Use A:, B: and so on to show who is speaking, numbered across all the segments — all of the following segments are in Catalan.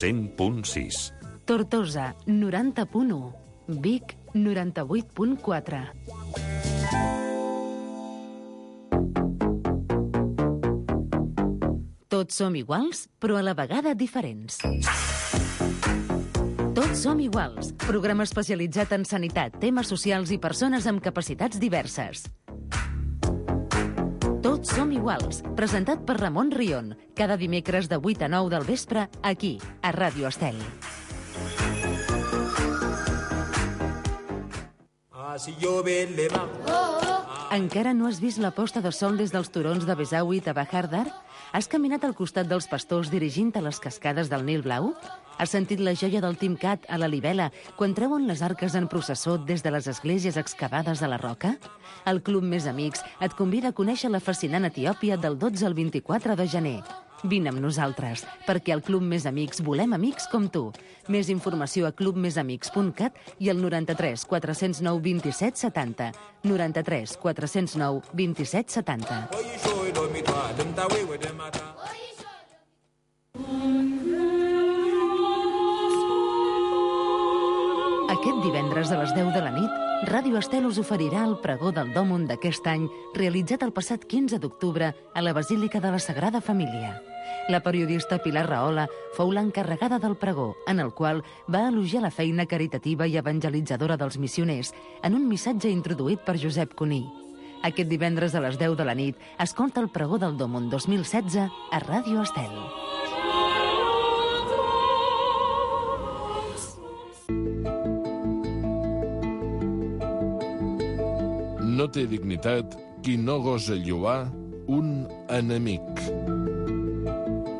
A: 100.6.
B: Tortosa, 90.1. Vic, 98.4. Tots som iguals, però a la vegada diferents. Tots som iguals, programa especialitzat en sanitat, temes socials i persones amb capacitats diverses. Tots som iguals, presentat per Ramon Rion, cada dimecres de 8 a 9 del vespre, aquí, a Ràdio Estel. Encara no has vist la posta de sol des dels turons de Besaüit a Bahar Dar? Has caminat al costat dels pastors dirigint a les cascades del Nil Blau? Has sentit la joia del Timcat a la Libela quan treuen les arques en processó des de les esglésies excavades a la roca? El Club Més Amics et convida a conèixer la fascinant Etiòpia del 12 al 24 de gener. Vine amb nosaltres, perquè al Club Més Amics volem amics com tu. Més informació a clubmesamics.cat i al 93 409 27 70. 93 409 27 70. Aquest divendres a les 10 de la nit, Ràdio Estel us oferirà el pregó del Dòmund d'aquest any, realitzat el passat 15 d'octubre a la Basílica de la Sagrada Família. La periodista Pilar Rahola fou l'encarregada del pregó, en el qual va elogiar la feina caritativa i evangelitzadora dels missioners en un missatge introduït per Josep Cuní. Aquest divendres a les 10 de la nit, escolta el pregó del Dòmund 2016 a Ràdio Estel.
C: No té dignitat qui no gosa lloar un enemic.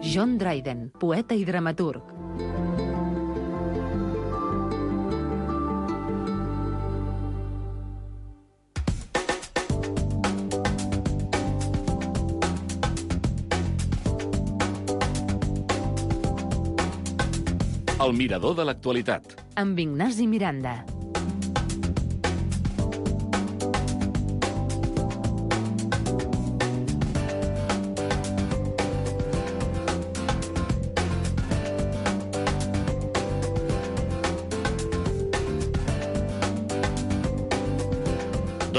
B: John Dryden, poeta i dramaturg.
A: El mirador de l'actualitat.
B: Amb Ignasi Miranda.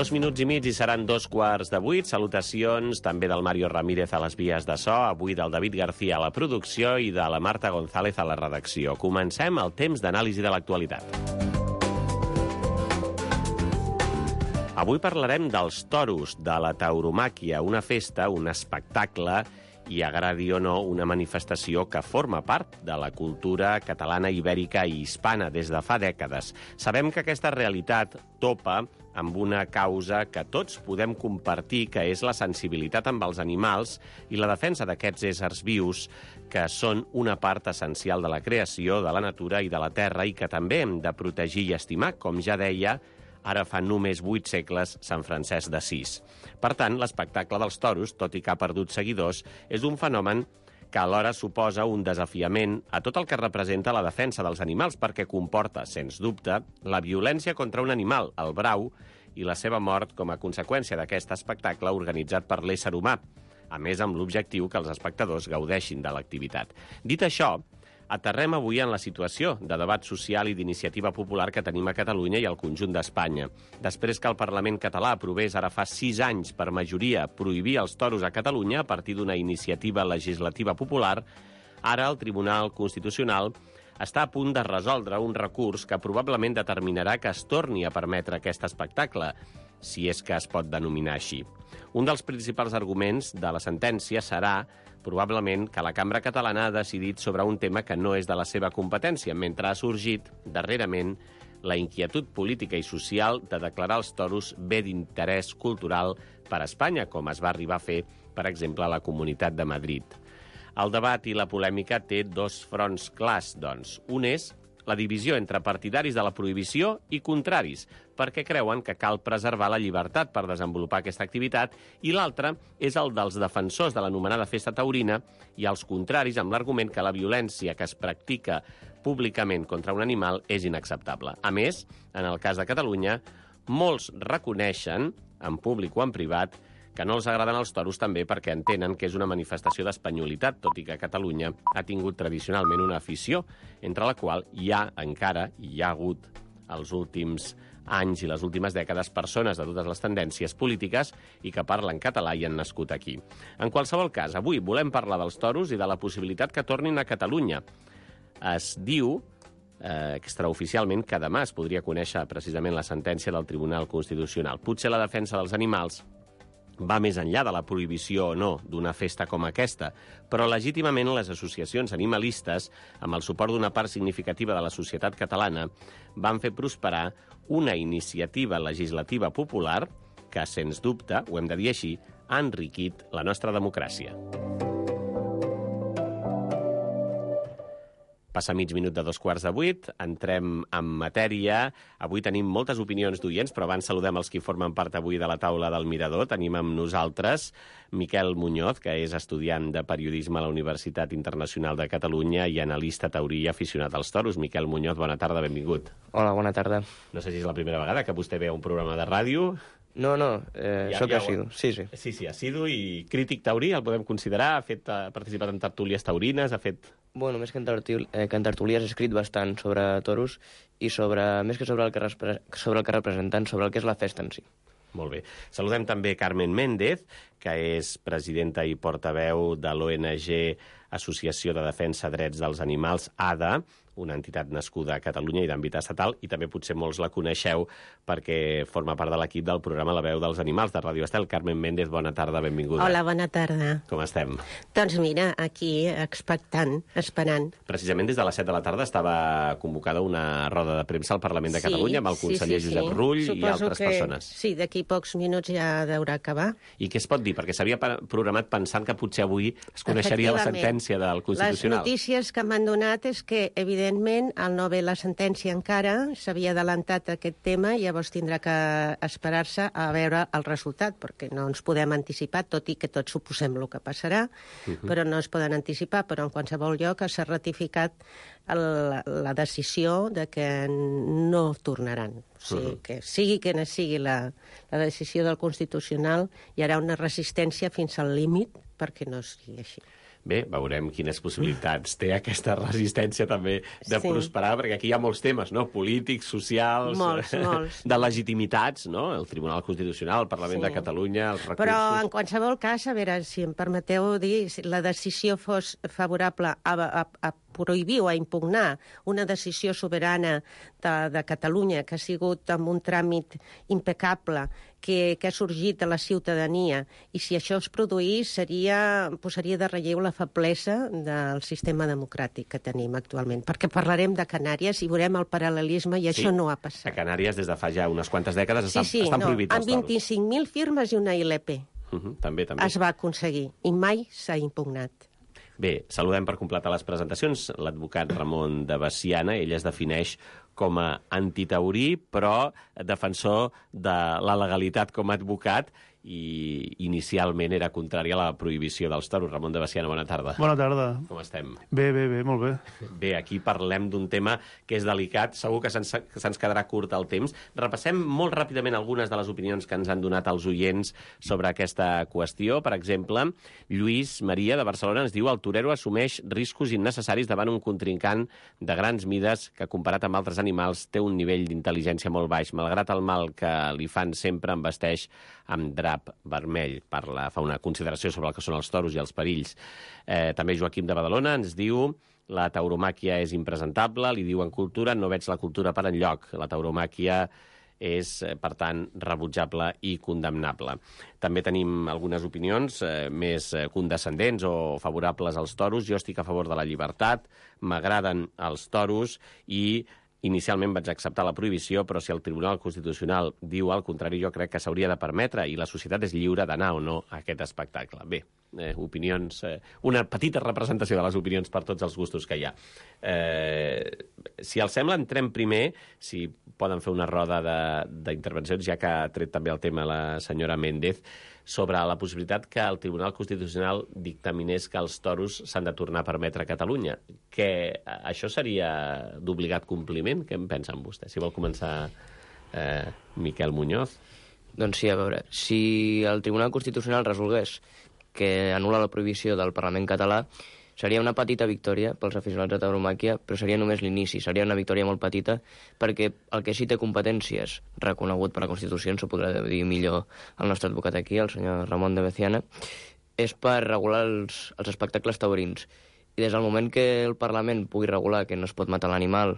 D: Dos minuts i mig i seran 2:15. Salutacions també del Mario Ramírez a les vies de so, avui del David García a la producció i de la Marta González a la redacció. Comencem el temps d'anàlisi de l'actualitat. Avui parlarem dels toros, de la tauromàquia, una festa, un espectacle i, agradi o no, una manifestació que forma part de la cultura catalana, ibèrica i hispana des de fa dècades. Sabem que aquesta realitat topa amb una causa que tots podem compartir, que és la sensibilitat amb els animals i la defensa d'aquests éssers vius que són una part essencial de la creació, de la natura i de la terra i que també hem de protegir i estimar, com ja deia ara fa només 8 segles Sant Francesc d'Assís. Per tant, l'espectacle dels toros, tot i que ha perdut seguidors, és un fenomen que alhora suposa un desafiament a tot el que representa la defensa dels animals, perquè comporta, sens dubte, la violència contra un animal, el brau, i la seva mort com a conseqüència d'aquest espectacle organitzat per l'ésser humà, a més amb l'objectiu que els espectadors gaudeixin de l'activitat. Dit això, aterrem avui en la situació de debat social i d'iniciativa popular que tenim a Catalunya i al conjunt d'Espanya. Després que el Parlament català aprovés ara fa 6 anys per majoria prohibir els toros a Catalunya a partir d'una iniciativa legislativa popular, ara el Tribunal Constitucional està a punt de resoldre un recurs que probablement determinarà que es torni a permetre aquest espectacle, si és que es pot denominar així. Un dels principals arguments de la sentència serà probablement que la Cambra Catalana ha decidit sobre un tema que no és de la seva competència, mentre ha sorgit, darrerament, la inquietud política i social de declarar els toros bé d'interès cultural per a Espanya, com es va arribar a fer, per exemple, a la Comunitat de Madrid. El debat i la polèmica té 2 fronts clars, doncs. Un és la divisió entre partidaris de la prohibició i contraris, perquè creuen que cal preservar la llibertat per desenvolupar aquesta activitat, i l'altre és el dels defensors de l'anomenada festa taurina i els contraris amb l'argument que la violència que es practica públicament contra un animal és inacceptable. A més, en el cas de Catalunya, molts reconeixen, en públic o en privat, que no els agraden els toros també perquè entenen que és una manifestació d'espanyolitat, tot i que Catalunya ha tingut tradicionalment una afició, entre la qual hi ha hagut els últims anys i les últimes dècades persones de totes les tendències polítiques i que parlen català i han nascut aquí. En qualsevol cas, avui volem parlar dels toros i de la possibilitat que tornin a Catalunya. Es diu extraoficialment que demà es podria conèixer precisament la sentència del Tribunal Constitucional. Potser la defensa dels animals va més enllà de la prohibició o no d'una festa com aquesta, però legítimament les associacions animalistes, amb el suport d'una part significativa de la societat catalana, van fer prosperar una iniciativa legislativa popular que, sens dubte, ho hem de dir així, ha enriquit la nostra democràcia. Passa mig minut de 7:45, entrem en matèria. Avui tenim moltes opinions d'oients, però abans saludem els qui formen part avui de la taula del Mirador. Tenim amb nosaltres Miquel Muñoz, que és estudiant de periodisme a la Universitat Internacional de Catalunya i analista taurí i aficionat als toros. Miquel Muñoz, bona tarda, benvingut.
A: Hola, bona tarda.
D: No sé si és la primera vegada que vostè veu un programa de ràdio.
A: No, soc assidu, sí.
D: Sí, assidu i crític taurí, el podem considerar, ha participat en tertúlies taurines, ha fet...
A: Bueno, més que en tertúlies he escrit bastant sobre toros i més que sobre el que representen, sobre el que és la festa en si.
D: Molt bé. Saludem també Carmen Méndez, que és presidenta i portaveu de l'ONG Associació de Defensa Drets dels Animals, ADA, una entitat nascuda a Catalunya i d'àmbit estatal, i també potser molts la coneixeu perquè forma part de l'equip del programa La veu dels animals de Ràdio Estel. Carmen Méndez, bona tarda, benvinguda.
E: Hola, bona tarda.
D: Com estem?
E: Doncs mira, aquí expectant, esperant.
D: Precisament des de les 7 de la tarda estava convocada una roda de premsa al Parlament de Catalunya amb el conseller Josep Rull i altres persones.
E: Sí, d'aquí pocs minuts ja deurà acabar.
D: I què es pot dir? Perquè s'havia programat pensant que potser avui es coneixeria la sentència del Constitucional.
E: Les notícies que m'han donat és que, evidentment, al no haver la sentència encara, s'havia adelantat aquest tema i llavors tindrà que esperar-se a veure el resultat, perquè no ens podem anticipar, tot i que tots suposem el que passarà, però no es poden anticipar, però en qualsevol lloc s'ha ratificat la decisió de que no tornaran. O sigui, que sigui quina sigui la decisió del Constitucional, hi haurà una resistència fins al límit perquè no sigui així.
D: Bé, veurem quines possibilitats té aquesta resistència també de prosperar, perquè aquí hi ha molts temes, no? Polítics, socials,
E: molts.
D: De legitimitats, no? El Tribunal Constitucional, el Parlament de Catalunya, els recursos...
E: Però, en qualsevol cas, a veure, si em permeteu dir, si la decisió fos favorable a prohibir o a impugnar una decisió soberana de Catalunya que ha sigut amb un tràmit impecable, que ha sorgit de la ciutadania, i si això es produís posaria de relleu la feblesa del sistema democràtic que tenim actualment. Perquè parlarem de Canàries i veurem el paral·lelisme i això no ha passat.
D: A Canàries, des de fa ja unes quantes dècades, estan prohibits els toros.
E: Amb 25.000 firmes i una ILP.
D: També.
E: Es va aconseguir i mai s'ha impugnat.
D: Bé, saludem per completar les presentacions l'advocat Ramon de Veciana. Ell es defineix com a antitaurí, però defensor de la legalitat com a advocat, i inicialment era contrari a la prohibició dels toros. Ramon de Veciana, bona tarda.
F: Bona tarda.
D: Com estem?
F: Bé, molt bé.
D: Bé, aquí parlem d'un tema que és delicat, segur que se'ns quedarà curt el temps. Repassem molt ràpidament algunes de les opinions que ens han donat els oients sobre aquesta qüestió. Per exemple, Lluís Maria, de Barcelona, ens diu: el torero assumeix riscos innecessaris davant un contrincant de grans mides que, comparat amb altres animals, té un nivell d'intel·ligència molt baix. Malgrat el mal que li fan, sempre em vesteix amb drap vermell. Fa una consideració sobre el que són els toros i els perills. També Joaquim de Badalona ens diu: la tauromàquia és impresentable, li diu en Cultura, no veig la cultura per enlloc. La tauromàquia és, per tant, rebutjable i condemnable. També tenim algunes opinions més condescendents o favorables als toros. Jo estic a favor de la llibertat, m'agraden els toros i inicialment vaig acceptar la prohibició, però si el Tribunal Constitucional diu el contrari, jo crec que s'hauria de permetre i la societat és lliure d'anar o no a aquest espectacle. Bé, opinions, una petita representació de les opinions per tots els gustos que hi ha. Si els sembla, entrem primer, si poden fer una roda d'intervencions, ja que ha tret també el tema la senyora Méndez, sobre la possibilitat que el Tribunal Constitucional dictaminés que els toros s'han de tornar a permetre a Catalunya. Que això seria d'obligat compliment? Què en pensen vostès? Si vol començar Miquel Muñoz.
A: Doncs sí, a veure, si el Tribunal Constitucional resolgués que anul·la la prohibició del Parlament català, seria una petita victòria pels aficionats de tauromàquia, però seria només l'inici, seria una victòria molt petita, perquè el que sí té competències reconegut per la Constitució, ens ho podrà dir millor el nostre advocat aquí, el senyor Ramon de Veciana, és per regular els espectacles taurins. I des del moment que el Parlament pugui regular que no es pot matar l'animal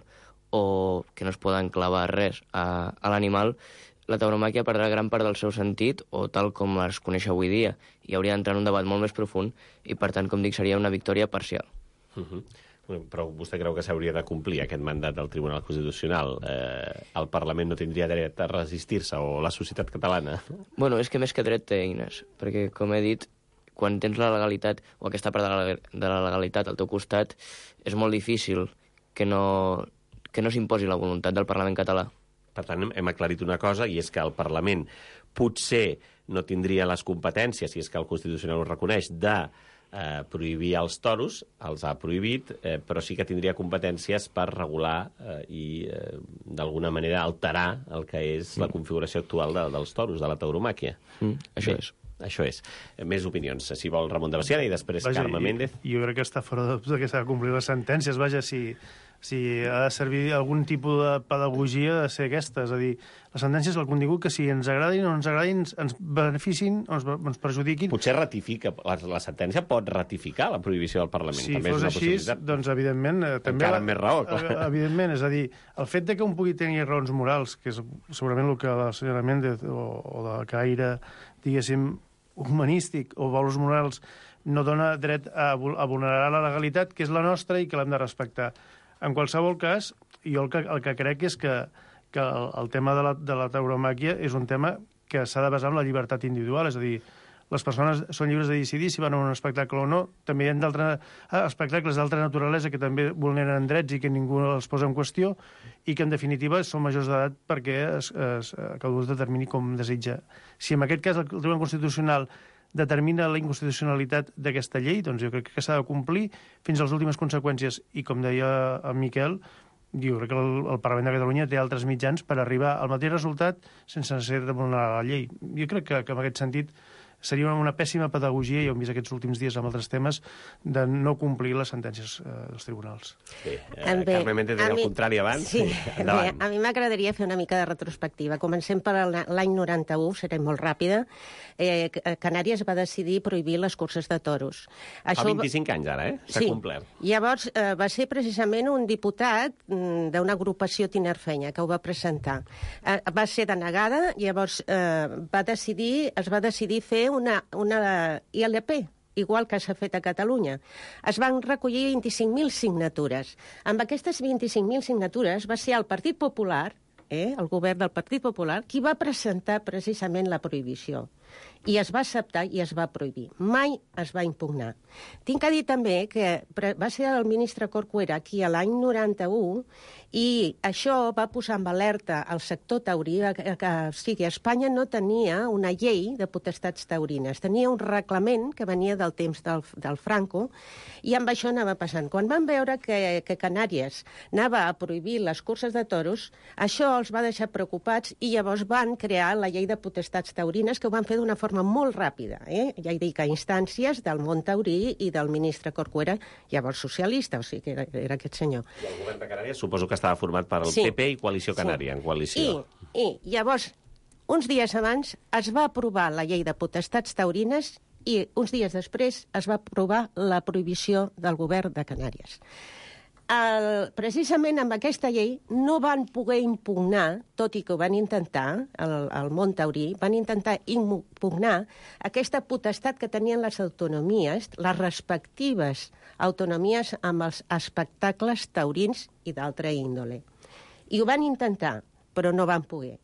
A: o que no es poden clavar res a l'animal, la tauromàquia perdrà gran part del seu sentit, o tal com es coneix avui dia, i hauria d'entrar en un debat molt més profund, i per tant, com dic, seria una victòria parcial.
D: Però vostè creu que s'hauria de complir aquest mandat del Tribunal Constitucional? El Parlament no tindria dret a resistir-se, o la societat catalana?
A: Bueno, és que més que dret té eines, perquè, com he dit, quan tens la legalitat, o aquesta part de la legalitat al teu costat, és molt difícil que no s'imposi la voluntat del Parlament català.
D: Per tant, hem aclarit una cosa, i és que el Parlament potser no tindria les competències, si és que el Constitucional ho reconeix, de prohibir els toros, els ha prohibit, però sí que tindria competències per regular i, d'alguna manera, alterar el que és la configuració actual dels toros, de la tauromàquia.
A: Això és.
D: Això és. Més opinions. Si vol, Ramon de Veciana, i després Carme Méndez.
F: Jo crec que està fora de dubte que s'ha de complir les sentències. Vaja, si ha de servir algun tipus de pedagogia, ha de ser aquesta. És a dir, les sentències, el contingut, que si ens agradin o no ens agradin, ens beneficin o ens perjudiquin.
D: Potser ratifica, la sentència pot ratificar la prohibició del Parlament.
F: Si fos així, doncs, evidentment...
D: Encara amb més raó, clar.
F: Evidentment, és a dir, el fet de que un pugui tenir raons morals, que és segurament el que la senyora Méndez o de caire, diguéssim, humanístic o valors morals, no dona dret a vulnerar la legalitat, que és la nostra i que l'hem de respectar. En qualsevol cas, jo el que crec és que el tema de la tauromàquia és un tema que s'ha de basar en la llibertat individual, és a dir, les persones són lliures de decidir si van a un espectacle o no. També hi ha espectacles d'altra naturalesa que també vulneren drets i que ningú els posa en qüestió i que, en definitiva, són majors d'edat perquè cadascú es determini com desitja. Si en aquest cas el Tribunal Constitucional determina la inconstitucionalitat d'aquesta llei, doncs jo crec que s'ha de complir fins a les últimes conseqüències. I, com deia en Miquel, jo crec que el Parlament de Catalunya té altres mitjans per arribar al mateix resultat sense necessitat de vulnerar la llei. Jo crec que en aquest sentit seria una pèssima pedagogia, i ho hem vist aquests últims dies amb altres temes, de no complir les sentències dels tribunals.
D: Bé, Carme Méndez deia el contrari abans.
E: Sí, bé, a mi m'agradaria fer una mica de retrospectiva. Comencem per l'any 91, seré molt ràpida. Canàries va decidir prohibir les curses de toros.
D: Fa 25 anys ara, s'ha complert.
E: Llavors va ser precisament un diputat d'una agrupació tinerfenya que ho va presentar. Va ser denegada, llavors es va decidir fer una ILP, igual que s'ha fet a Catalunya. Es van recollir 25.000 signatures. Amb aquestes 25.000 signatures va ser el Partit Popular, el govern del Partit Popular, qui va presentar precisament la prohibició. I es va acceptar i es va prohibir. Mai es va impugnar. Tinc a dir també que va ser el ministre Corcuera qui a l'any 91 i això va posar en alerta el sector taurí, que Espanya no tenia una llei de potestats taurines, tenia un reglament que venia del temps del Franco i amb això anava passant. Quan van veure que Canàries anava a prohibir les curses de toros, això els va deixar preocupats i llavors van crear la llei de potestats taurines, que ho van fer d'una forma molt ràpida. Ja he dit que a instàncies del món taurí i del ministre Corcuera, llavors socialista, o sigui que era aquest senyor.
D: I el govern de Canàries suposo que estava format per el PP i Coalició Canària, en coalició.
E: I llavors, uns dies abans, es va aprovar la llei de potestats taurines i uns dies després es va aprovar la prohibició del govern de Canàries. Precisament amb aquesta llei no van poder impugnar, tot i que ho van intentar, el món taurí, van intentar impugnar aquesta potestat que tenien les autonomies, les respectives autonomies amb els espectacles taurins i d'altra índole. I ho van intentar, però no van poder.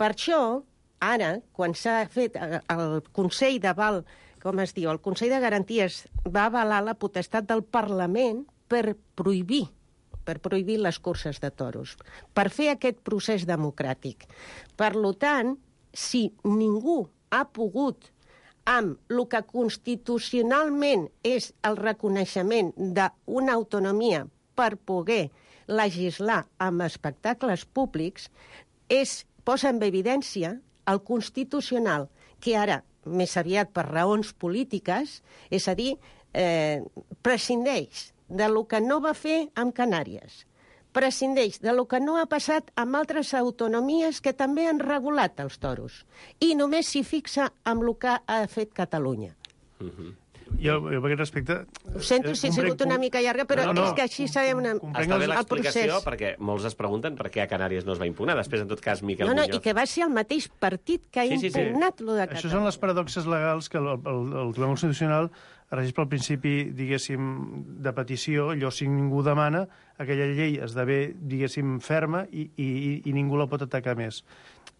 E: Per això, ara, quan s'ha fet el Consell d'Aval, com es diu, el Consell de Garanties va avalar la potestat del Parlament per prohibir les curses de toros, per fer aquest procés democràtic. Per tant, si ningú ha pogut, amb el que constitucionalment és el reconeixement d'una autonomia per poder legislar amb espectacles públics, posa en evidència el Constitucional, que ara, més aviat per raons polítiques, és a dir, prescindeix de lo que no va fer amb Canàries, prescindeix de lo que no ha passat amb altres autonomies que també han regulat els toros, i només s'hi fixa amb el que ha fet Catalunya.
F: Jo, per aquest respecte...
E: Ho sento si ha sigut una mica llarga, però és que així sabem
D: Està bé l'explicació, perquè molts es pregunten per què a Canàries no es va impugnar. Després, en tot cas, Miquel Muñoz...
E: I que va ser el mateix partit que ha impugnat lo de Catalunya.
F: Això són les paradoxes legals que el Tribunal Constitucional regeix pel principi, diguéssim, de petició. Allò, si ningú demana, aquella llei esdevé, diguéssim, ferma i ningú la pot atacar més.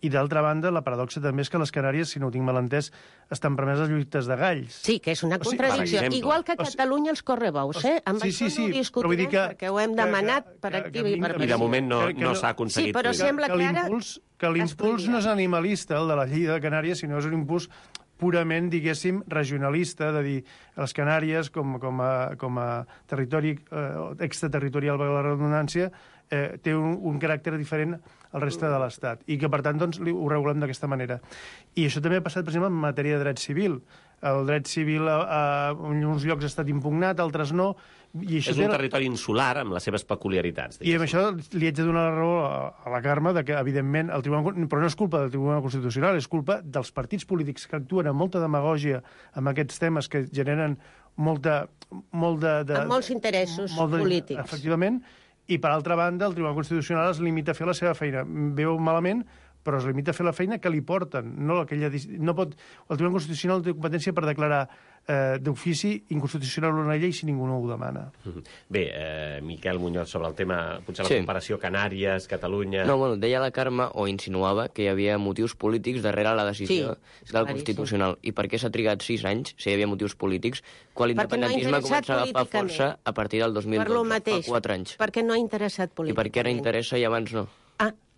F: I, d'altra banda, la paradoxa també és que les Canàries, si no ho tinc mal entès, estan permeses lluites de galls.
E: Sí, que és una contradicció. Igual que a Catalunya els correbous, Amb això no ho discutirem, perquè ho hem demanat per activa i per passiva.
D: I de moment no s'ha aconseguit.
E: Sí, però sembla que ara...
F: Que l'impuls no és animalista, el de la llei de Canàries, sinó és un impuls purament, diguéssim, regionalista, de dir, les Canàries, com a territori extraterritorial, per la redundància, té un caràcter diferent al reste de l'Estat, i que, per tant, doncs, ho regulem d'aquesta manera. I això també ha passat, per exemple, en matèria de dret civil. El dret civil en uns llocs ha estat impugnat, altres no. I això
D: és un territori insular amb les seves peculiaritats.
F: I amb això li haig de donar la raó a la Carme de que, evidentment, però no és culpa del Tribunal Constitucional, és culpa dels partits polítics que actuen amb molta demagògia amb aquests temes que generen molt de...
E: Amb molts interessos polítics.
F: Efectivament. I, per altra banda, el Tribunal Constitucional es limita a fer la seva feina. Veu malament, però es limita a fer la feina que li porten. El Tribunal Constitucional té competència per declarar d'ofici inconstitucional una llei si ningú no ho demana.
D: Bé, Miquel Muñoz, sobre el tema, potser la comparació Canàries, Catalunya...
A: No, bueno, deia la Carme, o insinuava, que hi havia motius polítics darrere la decisió del Constitucional. I per què s'ha trigat 6 anys, si hi havia motius polítics, quan l'independentisme comença a agafar força a partir del 2012, fa 4 anys?
E: Perquè no ha interessat políticament.
A: I per què ara interessa i abans no?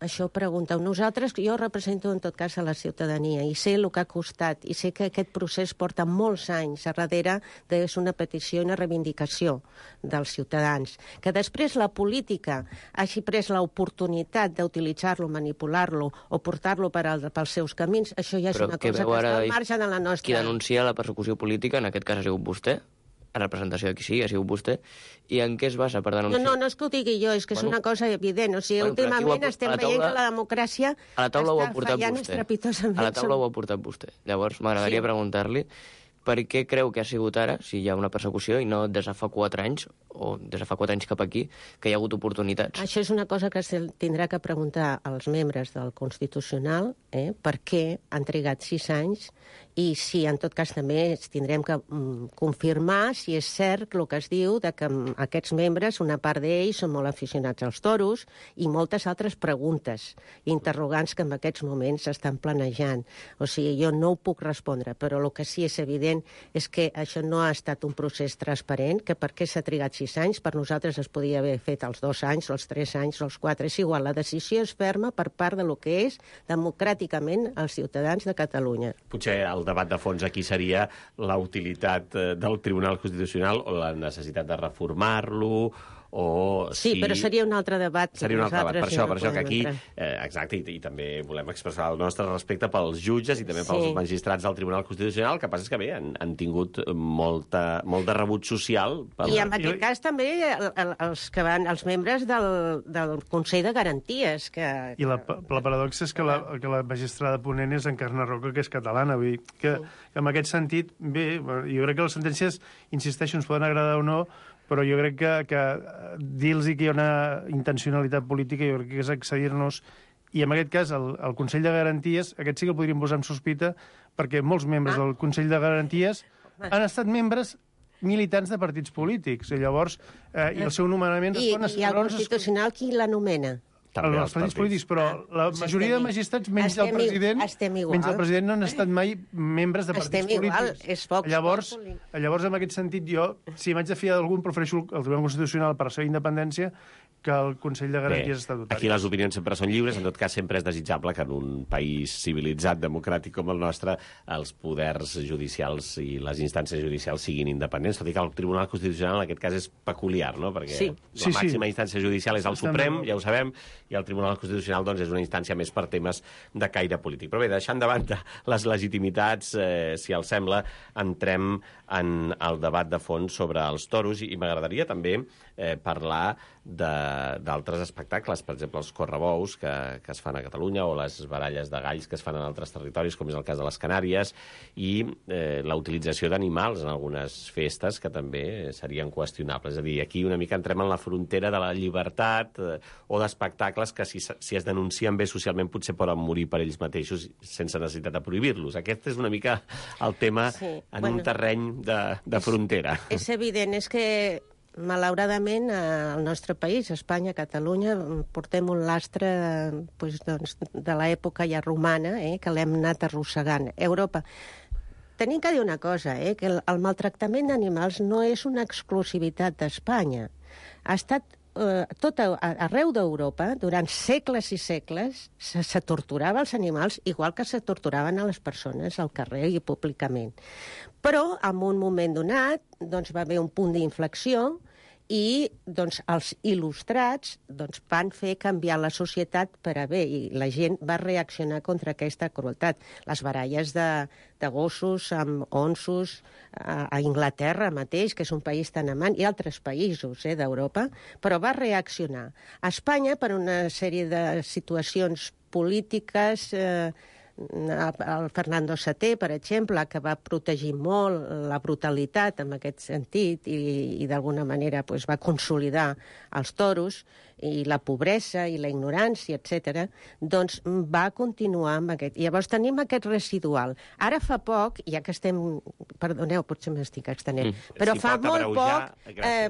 E: Això pregunteu. Nosaltres, jo represento en tot cas a la ciutadania i sé el que ha costat i sé que aquest procés porta molts anys a darrere és una petició i una reivindicació dels ciutadans. Que després la política hagi pres l'oportunitat d'utilitzar-lo, manipular-lo o portar-lo pels seus camins, això ja és una cosa que està al marge de la nostra...
A: Qui denuncia la persecució política, en aquest cas ha sigut vostè, a representació de qui sigui, ha sigut vostè, i en què es basa per denunciar?
E: No és que ho digui jo, és que és una cosa evident. O sigui, últimament estem veient que la democràcia
A: està fallant
E: estrepitosament.
A: A la taula ho ha portat vostè. Llavors, m'agradaria preguntar-li per què creu que ha sigut ara, si hi ha una persecució, i no des de fa 4 anys, o des de fa 4 anys cap aquí, que hi ha hagut oportunitats?
E: Això és una cosa que se tindrà que preguntar als membres del Constitucional, per què han trigat 6 anys, i si, en tot cas, també tindrem que confirmar si és cert el que es diu de que aquests membres, una part d'ells, són molt aficionats als toros, i moltes altres preguntes, interrogants que en aquests moments s'estan planejant. O sigui, jo no ho puc respondre, però el que sí és evident és que això no ha estat un procés transparent, que per què s'ha trigat 6 anys, per nosaltres es podia haver fet els 2 anys, els 3 anys, els 4, és igual. La decisió és ferma per part de lo que és democràticament els ciutadans de Catalunya.
D: Potser el debat de fons aquí seria la utilitat del Tribunal Constitucional o la necessitat de reformar-lo, o
E: sí, però seria un altre debat.
D: Seria un altre debat. Per això que aquí, exacte, i també volem expressar el nostre respecte pels jutges i també pels magistrats del Tribunal Constitucional. El que passa és que, bé, han tingut molt de rebut social.
E: I en aquest cas també els membres del Consell de Garanties.
F: I la paradoxa és que la magistrada ponent és Encarna Roca, que és catalana. Vull dir que en aquest sentit, bé, jo crec que les sentències, insisteixo, ens poden agradar o no, però jo crec que dir-los que hi ha una intencionalitat política jo crec que és accedir-nos, i en aquest cas el Consell de Garanties, aquest sí que el podríem posar en sospita, perquè molts membres del Consell de Garanties han estat membres militants de partits polítics, i llavors i el seu nomenament...
E: I el Constitucional qui l'anomena?
F: Els partits polítics, però la majoria de magistrats, menys el president, no han estat mai membres de partits polítics. Llavors, en aquest sentit, jo, si m'haig de fiar d'algun, prefereixo el Tribunal Constitucional per la seva independència que el Consell de Garanties Estatutàries.
D: Aquí les opinions sempre són lliures, en tot cas sempre és desitjable que en un país civilitzat, democràtic com el nostre, els poders judicials i les instàncies judicials siguin independents, tot i que el Tribunal Constitucional en aquest cas és peculiar, no? Perquè la màxima instància judicial és el Suprem, ja ho sabem, i el Tribunal Constitucional doncs, és una instància més per temes de caire polític. Però bé, deixant de banda les legitimitats, si els sembla, entrem en el debat de fons sobre els toros i m'agradaria també parlar d'altres espectacles, per exemple, els correbous que es fan a Catalunya o les baralles de galls que es fan en altres territoris, com és el cas de les Canàries, i la utilització d'animals en algunes festes que també serien qüestionables. És a dir, aquí una mica entrem en la frontera de la llibertat o d'espectacles que si es denuncien bé socialment potser poden morir per ells mateixos sense necessitat de prohibir-los. Aquest és una mica el tema en un terreny de frontera.
E: És evident, és que malauradament al nostre país, Espanya, Catalunya, portem un lastre de l'època ja romana, que l'hem anat arrossegant. Europa. Tenim que dir una cosa, que el maltractament d'animals no és una exclusivitat d'Espanya. Ha estat arreu d'Europa, durant segles i segles, se torturava els animals igual que se torturaven a les persones al carrer i públicament. Però, en un moment donat, va haver un punt d'inflexió i els il·lustrats van fer canviar la societat per a bé, i la gent va reaccionar contra aquesta crueltat. Les baralles de gossos amb onsos a Anglaterra mateix, que és un país tan amant, i altres països d'Europa, però va reaccionar. A Espanya, per una sèrie de situacions polítiques, el Fernando VII, per exemple, que va protegir molt la brutalitat en aquest sentit i d'alguna manera va consolidar els toros i la pobresa i la ignorància, etc., va continuar amb aquest. I llavors tenim aquest residual. Ara fa poc, ja que estem... Perdoneu, potser m'estic extenent, però fa molt poc,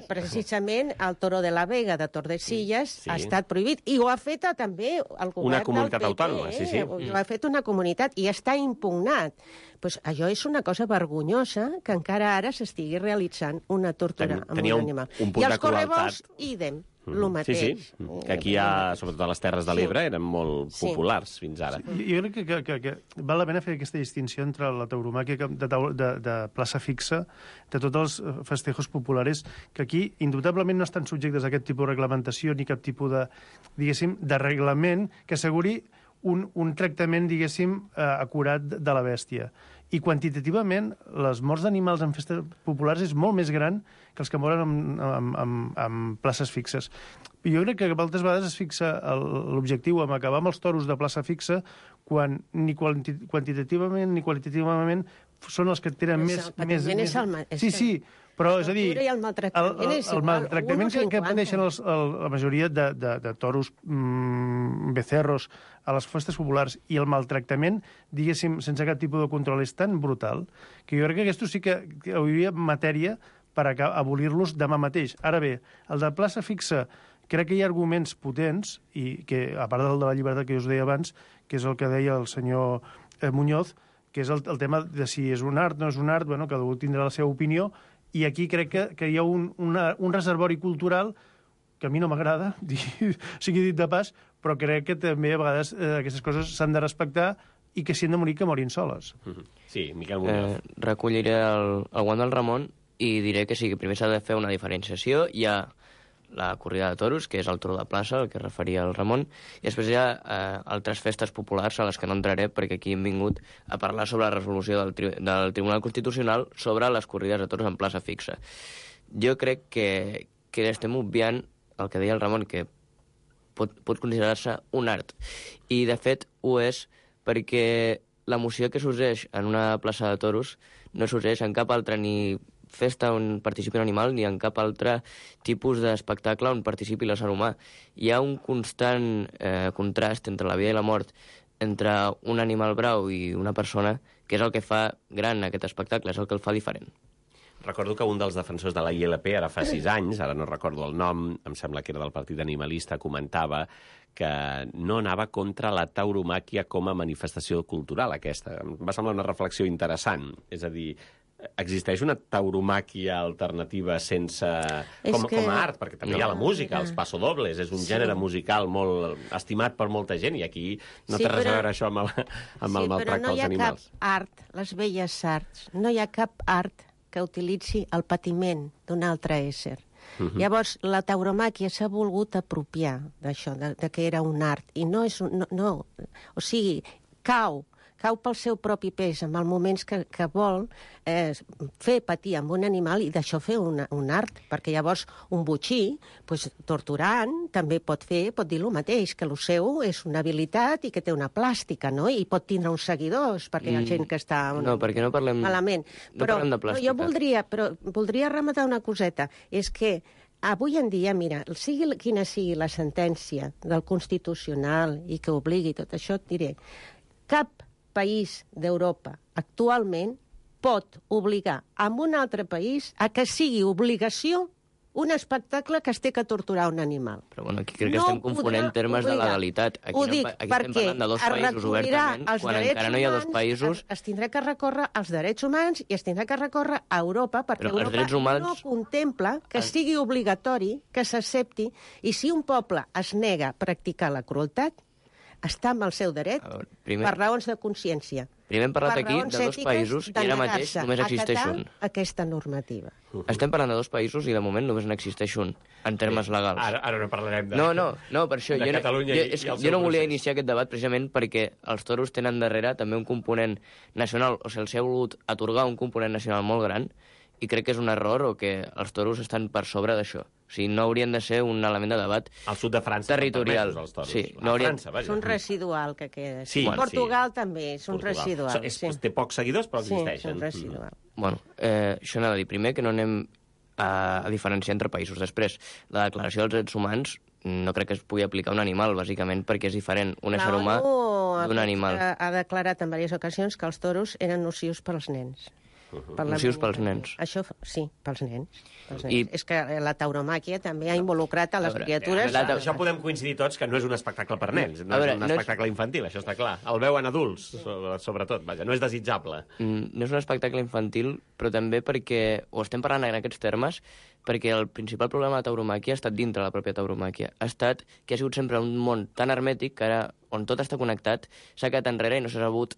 E: precisament, el Toro de la Vega de Tordesillas ha estat prohibit, i ho ha fet també el govern del PP.
D: Una comunitat autònoma, sí.
E: Ho ha fet una comunitat i està impugnat. Allò és una cosa vergonyosa que encara ara s'estigui realitzant una tortura amb un animal.
D: I
E: els correbous, idem. El mateix.
D: Sí, que aquí sobretot a les Terres de l'Ebre, eren molt populars fins ara.
F: Jo crec que val la pena fer aquesta distinció entre la tauromàquia de plaça fixa, de tots els festejos populares, que aquí indubtablement no estan subjectes a aquest tipus de reglamentació ni cap tipus de, diguéssim, de reglament que asseguri un tractament, diguéssim, acurat de la bèstia. I quantitativament, les morts d'animals en festes populars és molt més gran que els que moren en places fixes. I jo crec que moltes vegades es fixa l'objectiu en acabar amb els toros de plaça fixa quan ni quantitativament ni qualitativament són els que tenen més... Sí, però és a dir, el maltractament que pateixen la majoria de toros, becerros a les festes populars i el maltractament, diguéssim, sense cap tipus de control, és tan brutal que jo crec que aquesta sí que hauria matèria per abolir-los demà mateix. Ara bé, el de plaça fixa, crec que hi ha arguments potents, i que, a part del de la llibertat que jo us deia abans, que és el que deia el senyor Muñoz, que és el tema de si és un art, no és un art, bueno, cada un tindrà la seva opinió, i aquí crec que hi ha un reservori cultural que a mi no m'agrada, sigui dit de pas, però crec que també a vegades aquestes coses s'han de respectar i que si han de morir, que morin soles.
D: Sí, Miquel Muñoz.
A: Recolliré el guant del Ramon i diré que sí, que primer s'ha de fer una diferenciació. Hi ha la corrida de toros, que és el toro de plaça, el que referia el Ramon, i després hi ha altres festes populars a les que no entraré perquè aquí hem vingut a parlar sobre la resolució del Tribunal Constitucional sobre les corrides de toros en plaça fixa. Jo crec que estem obviant el que deia el Ramon, que pot considerar-se un art. I, de fet, ho és perquè l'emoció que s'useix en una plaça de toros no s'useix en cap altra ni festa on participi un animal ni en cap altre tipus d'espectacle on participi l'ésser humà. Hi ha un constant contrast entre la vida i la mort, entre un animal brau i una persona, que és el que fa gran aquest espectacle, és el que el fa diferent.
D: Recordo que un dels defensors de la ILP, ara fa 6 anys, ara no recordo el nom, em sembla que era del Partit Animalista, comentava que no anava contra la tauromàquia com a manifestació cultural, aquesta. Em va semblar una reflexió interessant. És a dir, existeix una tauromàquia alternativa sense... com a art, perquè també hi ha la música, els passodobles, és un gènere musical molt estimat per molta gent, i aquí no té res a veure això amb el maltracte als animals.
E: Sí, però no hi ha cap art, les velles arts, no hi ha cap art que utilitzi el patiment d'un altre ésser. Llavors, la tauromàquia s'ha volgut apropiar d'això, de que era un art, i no és un... No, o sigui, cau pel seu propi pes en els moments que vol fer patir amb un animal i d'això fer un art, perquè llavors un botxí, torturant, també pot dir el mateix, que el seu és una habilitat i que té una plàstica, no? I pot tindre uns seguidors, perquè hi ha gent que està
A: perquè no parlem,
E: malament.
A: No parlem de plàstica.
E: Jo voldria rematar una coseta, és que avui en dia, mira, quina sigui la sentència del Constitucional i que obligui tot això, et diré, cap país d'Europa actualment pot obligar a un altre país a que sigui obligació un espectacle que es té que torturar un animal.
A: Però bueno, aquí crec que estem confonent termes de legalitat. Aquí estem parlant de dos països obertament, quan encara no hi ha dos països...
E: Es tindrà que recórrer als drets humans i es tindrà que recórrer a Europa, perquè Europa no contempla que sigui obligatori, que s'accepti, i si un poble es nega a practicar la crueltat, està amb el seu dret per raons de consciència.
A: Primer hem parlat aquí de dos països i ara mateix només existeix un.
E: Aquesta normativa.
A: Estem parlant de dos països i de moment només n'existeix un, en termes legals.
D: Ara no parlarem de...
A: No, per això. Jo no volia iniciar aquest debat precisament perquè els toros tenen darrere també un component nacional, o sigui, els ha volgut atorgar un component nacional molt gran i crec que és un error o que els toros estan per sobre d'això. O sigui, no haurien de ser un element de debat
D: al sud de França
A: territorial.
D: Sí, no França,
E: és un residual que queda.
D: Sí,
E: Portugal també és un residual.
D: Té pocs seguidors, però existeixen.
E: Sí, és un residual.
A: Bueno, això anava a dir. Primer, que no anem a diferenciar entre països. Després, la declaració dels drets humans no crec que es pugui aplicar a un animal, bàsicament perquè és diferent un ésser humà d'un animal.
E: Ha declarat en diverses ocasions que els toros eren nocius pels nens.
A: Nocius pels nens.
E: Això, sí, pels nens. És que la tauromàquia també ha involucrat a les criatures...
D: Això podem coincidir tots que no és un espectacle per nens, no és un espectacle infantil, això està clar. El veuen adults, sobretot, vaja, no és desitjable.
A: No és un espectacle infantil, però també perquè, o estem parlant en aquests termes, perquè el principal problema de la tauromàquia ha estat dintre la pròpia tauromàquia. Ha estat que ha sigut sempre un món tan hermètic que ara, on tot està connectat, s'ha quedat enrere i no s'ha sabut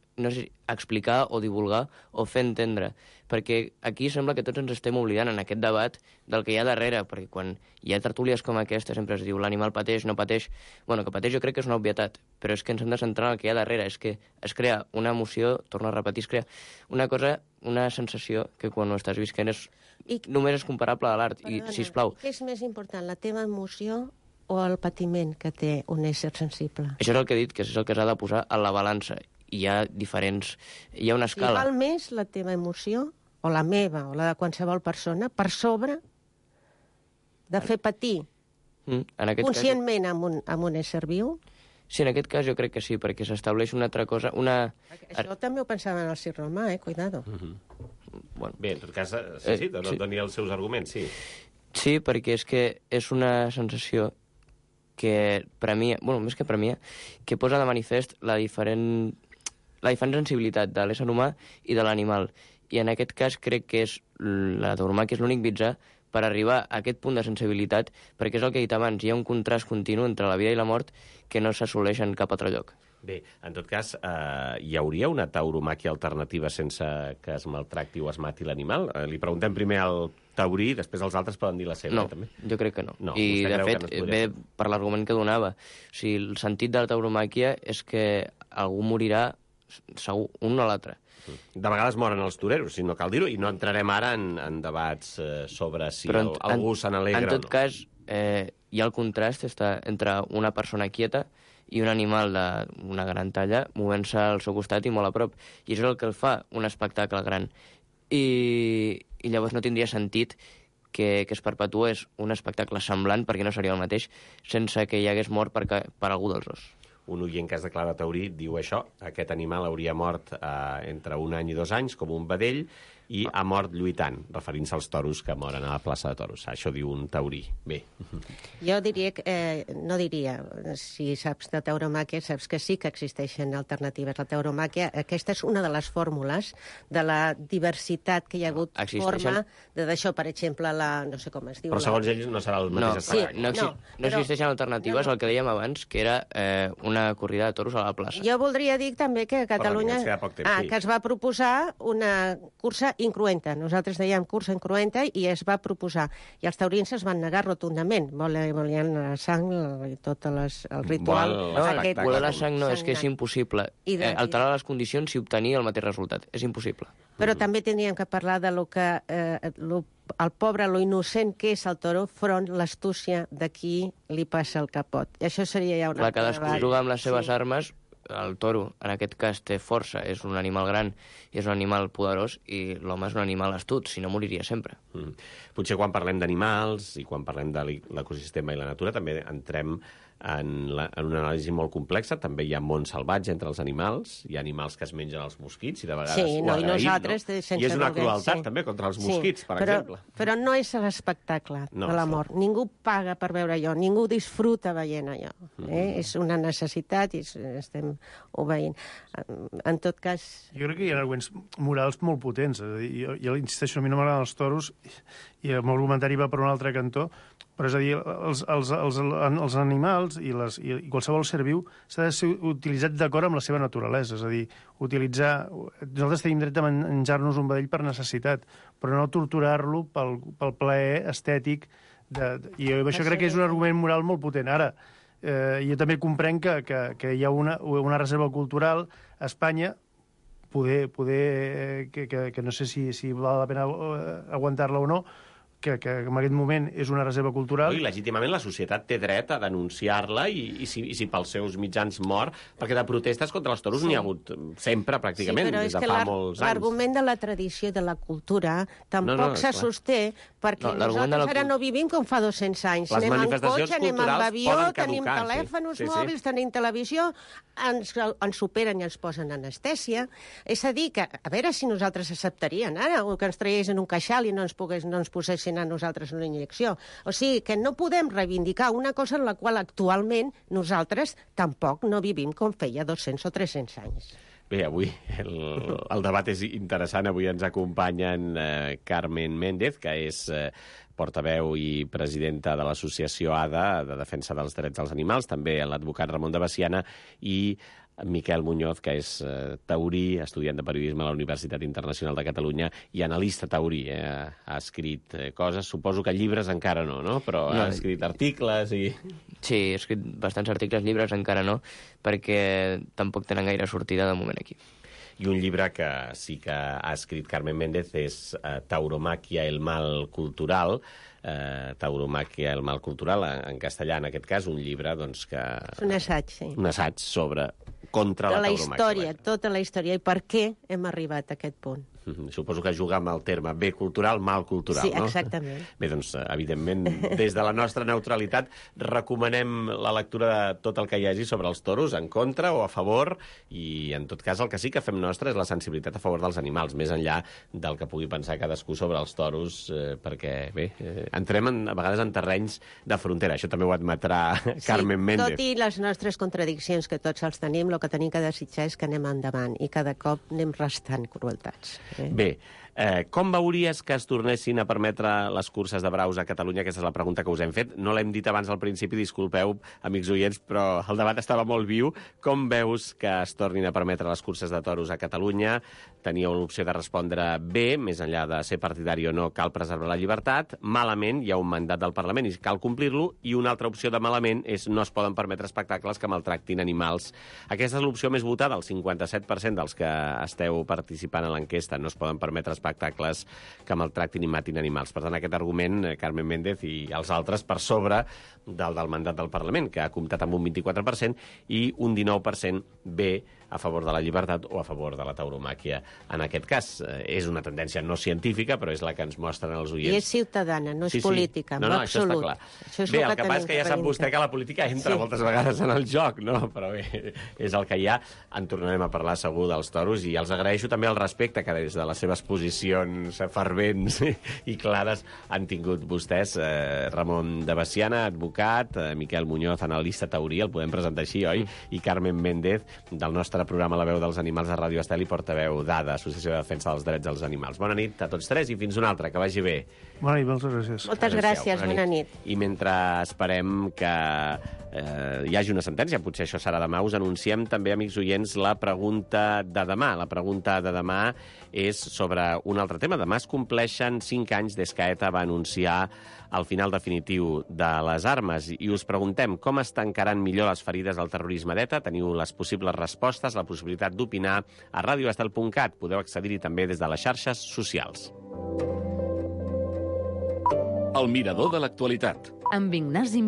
A: explicar o divulgar o fer entendre. Perquè aquí sembla que tots ens estem oblidant en aquest debat del que hi ha darrere, perquè quan hi ha tertúlies com aquesta sempre es diu l'animal pateix, no pateix... Bueno, que pateix jo crec que és una obvietat, però és que ens hem de centrar en el que hi ha darrere. És que es crea una emoció, torno a repetir, es crea una cosa, una sensació que quan ho estàs visquent només és comparable a l'art. I, sisplau...
E: Què és més important, la teva emoció o el patiment que té un ésser sensible?
A: Això és el que he dit, que és el que s'ha de posar a la balança. Hi ha diferents... Hi ha una escala.
E: I val més la teva emoció, o la meva, o la de qualsevol persona, per sobre de fer patir conscientment amb un ésser viu?
A: Sí, en aquest cas jo crec que sí, perquè s'estableix una altra cosa...
E: Això també ho pensava en el Circ Romà, cuidado.
A: Bueno.
D: Bé, en tot cas, sí, doni els seus arguments, sí.
A: Sí, perquè és que és una sensació que premia, bueno, més que premia, que posa de manifest la diferent sensibilitat de l'ésser humà i de l'animal. I en aquest cas crec que la tauromàquia és l'únic mitjà per arribar a aquest punt de sensibilitat, perquè és el que he dit abans, hi ha un contrast continu entre la vida i la mort que no s'assoleix en cap altre lloc.
D: Bé, en tot cas, hi hauria una tauromàquia alternativa sense que es maltracti o es mati l'animal? Li preguntem primer al taurí, després els altres poden dir la seva.
A: No,
D: també.
A: Jo crec que no.
D: I,
A: de fet, ve per l'argument que donava. O sigui, el sentit de la tauromàquia és que algú morirà segur, un o l'altre.
D: De vegades moren els toreros, si no cal dir-ho, i no entrarem ara en debats sobre si algú se n'alegra o no.
A: En tot cas, hi ha el contrast entre una persona quieta i un animal d'una gran talla movent-se al seu costat i molt a prop. I això és el que el fa un espectacle gran. I llavors no tindria sentit que es perpetués un espectacle semblant, perquè no seria el mateix, sense que hi hagués mort per algú dels dos.
D: Un oient que es declara taurí diu això, aquest animal hauria mort entre 1 any i 2 anys, com un vedell, i ha mort lluitant, referint-se als toros que moren a la plaça de toros. Això diu un taurí. Bé.
E: Jo diria no diria, si saps de tauromàquia, saps que sí que existeixen alternatives. La tauromàquia, aquesta és una de les fórmules de la diversitat que hi ha hagut forma d'això, per exemple, no sé com es diu.
D: Però segons ells no serà el mateix espectacle.
A: No existeixen alternatives al que dèiem abans, que era una corrida de toros a la plaça.
E: Jo voldria dir també que a Catalunya que es va proposar una cursa incruenta. Nosaltres dèiem cursa incruenta i es va proposar. I els taurins es van negar rotundament. Volien la sang i tot el ritual.
A: Voler la sang no, és que és impossible. Alterar les condicions i obtenir el mateix resultat. És impossible.
E: Però també tindríem que parlar de lo que el pobre, lo innocent que és el toro, front l'astúcia de qui li passa el capot. I això seria ja una...
A: Cadascú juga amb les seves armes. El toro, en aquest cas, té força, és un animal gran i és un animal poderós, i l'home és un animal astut, si no moriria sempre.
D: Potser quan parlem d'animals i quan parlem de l'ecosistema i la natura també entrem en una anàlisi molt complexa. També hi ha món salvatge entre els animals, hi ha animals que es mengen els mosquits i de vegades ho agraïm,
E: i nosaltres, sense
D: i és una crueltat també contra els mosquits, per exemple.
E: Però no és l'espectacle de la mort. Ningú paga per veure allò, ningú disfruta veient allò. És una necessitat i estem obeint. En tot cas...
F: Jo crec que hi ha arguments morals molt potents. Jo insisteixo, a mi no m'agraden els toros i el meu argumentari va per un altre cantó, però és a dir, els animals i qualsevol ser viu s'ha de ser utilitzat d'acord amb la seva naturalesa. És a dir, nosaltres tenim dret a menjar-nos un vedell per necessitat, però no torturar-lo pel plaer estètic. I això crec que és un argument moral molt potent. Ara, jo també comprenc que hi ha una reserva cultural a Espanya, que no sé si val la pena aguantar-la o no, que en aquest moment és una reserva cultural.
D: I legítimament la societat té dret a denunciar-la i si pels seus mitjans mor, perquè de protestes contra els toros n'hi ha hagut sempre, pràcticament, des de fa molts anys.
E: L'argument de la tradició i de la cultura tampoc se sosté, perquè nosaltres ara no vivim com fa 200 anys. Anem en cotxe, anem amb avió, tenim telèfons mòbils, tenim televisió, ens superen i ens posen anestèsia. És a dir, que a veure si nosaltres acceptarien ara que ens traiessin un queixal i no ens posessin a nosaltres una injecció. O sigui, que no podem reivindicar una cosa en la qual actualment nosaltres tampoc no vivim com feia 200 o 300 anys.
D: Bé, avui el debat és interessant. Avui ens acompanyen Carmen Méndez, que és portaveu i presidenta de l'associació ADA, de defensa dels drets dels animals, també l'advocat Ramon de Veciana, i Miquel Muñoz, que és taurí, estudiant de periodisme a la Universitat Internacional de Catalunya i analista taurí. Ha escrit coses, suposo que llibres encara no, però ha escrit articles i...
A: Sí, he escrit bastants articles, llibres encara no, perquè tampoc tenen gaire sortida de moment aquí.
D: I un llibre que sí que ha escrit Carmen Méndez és Tauromàquia, el mal cultural. Tauromàquia, el mal cultural, en castellà, en aquest cas, un llibre que...
E: És un assaig, sí.
D: Un assaig contra la tauromàquia.
E: Tota la història, i per què hem arribat a aquest punt.
D: Suposo que juga amb el terme bé cultural, mal cultural,
E: no?
D: Sí,
E: exactament.
D: Bé, doncs, evidentment, des de la nostra neutralitat, recomanem la lectura de tot el que hi hagi sobre els toros, en contra o a favor, i en tot cas el que sí que fem nostre és la sensibilitat a favor dels animals, més enllà del que pugui pensar cadascú sobre els toros, perquè, bé, entrem a vegades en terrenys de frontera. Això també ho admetrà Carmen Méndez.
E: Tot i les nostres contradiccions, que tots els tenim, el que tenim que desitjar és que anem endavant, i cada cop anem restant crueltats.
D: Bé, com veuries que es tornessin a permetre les curses de braus a Catalunya? Aquesta és la pregunta que us hem fet. No l'hem dit abans al principi, disculpeu, amics oients, però el debat estava molt viu. Com veus que es tornin a permetre les curses de toros a Catalunya? Teníeu l'opció de respondre bé, més enllà de ser partidari o no, cal preservar la llibertat. Malament, hi ha un mandat del Parlament i cal complir-lo. I una altra opció de malament és no es poden permetre espectacles que maltractin animals. Aquesta és l'opció més votada, el 57% dels que esteu participant en l'enquesta. No es poden permetre espectacles que maltractin i matin animals. Per tant, aquest argument, Carmen Méndez i els altres, per sobre del mandat del Parlament, que ha comptat amb un 24% i un 19% bé a favor de la llibertat o a favor de la tauromàquia. En aquest cas, és una tendència no científica, però és la que ens mostren els oients.
E: I és ciutadana, no és política, en
D: Això
E: absolut.
D: està clar. Bé, el que passa és que ja sap vostè que la política entra moltes vegades en el joc, no? Però bé, és el que hi ha. En tornarem a parlar segur dels toros i els agraeixo també el respecte que des de les seves posicions fervents i clares han tingut vostès. Ramon de Veciana, advocat, Miquel Muñoz, analista taurí, el podem presentar així, oi? I Carmen Méndez, del nostre programa La veu dels animals de Ràdio Estel i portaveu d'ADA, Associació de Defensa dels Drets dels Animals. Bona nit a tots tres i fins una altra, que vagi bé.
F: Bona nit, moltes gràcies.
E: Moltes gràcies, bona nit.
D: I mentre esperem que hi hagi una sentència, potser això serà demà, us anunciem també, amics oients, la pregunta de demà. La pregunta de demà és sobre un altre tema. Demà es compleixen 5 anys des que ETA va anunciar el final definitiu de les armes i us preguntem com es tancaran millor les ferides del terrorisme d'ETA. Teniu les possibles respostes, la possibilitat d'opinar a radioestel.cat. Podeu accedir-hi també des de les xarxes socials.
C: El mirador de l'actualitat.
B: Amb Ignasi